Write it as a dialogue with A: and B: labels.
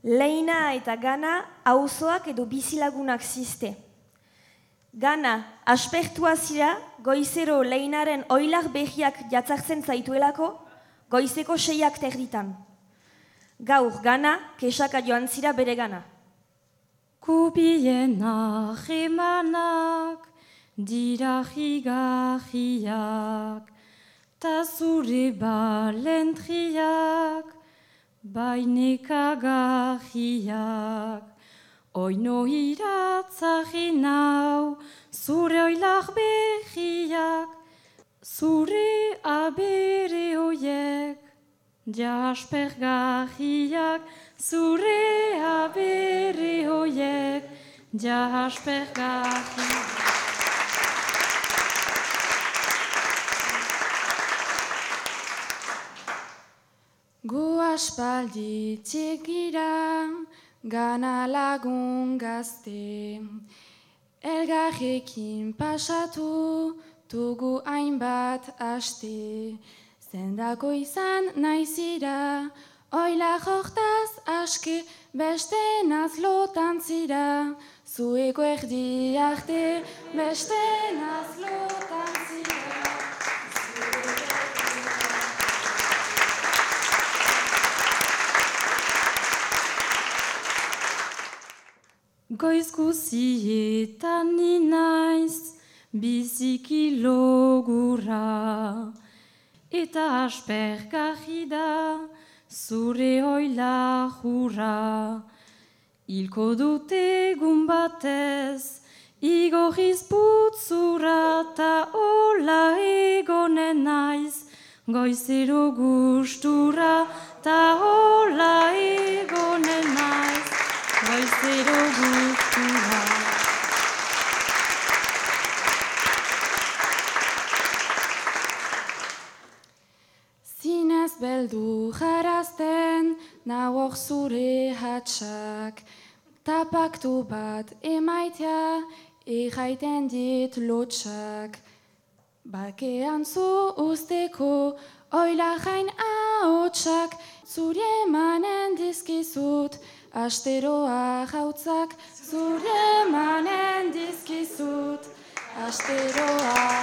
A: Leina eta Gana auzoak edo bizilagunak ziste. Gana, aspertua zira, goizero Leinaren oilar behiak jatzartzen zaituelako, goizeko 6 terditan. Gaur Gana, kesaka joan zira bere gana.
B: Kupienak emanak, dira higarriak, ta zure balentriak, bainekagarriak. Oino iratzari nau, zure oilar behiak, zure abere hoiek, jaspergarriak, zure abere hoiek, jaspergarriak.
C: Gu aspaldi txegira, Gana lagun gazte, elgarrekin pasatu, tugu hainbat aste. Zendako izan naizira, oila jortaz aske, beste nazlotan zira, zueko erdi arte, beste nazlotan zira.
B: Goiz guzietan ni naiz, biziki logura, eta aspergarri da, zure oila jura. Hilko dute egun batez, igorriz putzura, ta hola egonen naiz, goizero gustura, ta hola egonen naiz, goizero gustura.
C: Zinez beldu jarazten, nauk zure hatsak, tapaktu bat emaitea, erraiten dit lotsak. Bakean zu usteko, oila jain ahotsak, zure emanen dizkizut, asteroa jautzak, zure emanen dizkizut, asteroa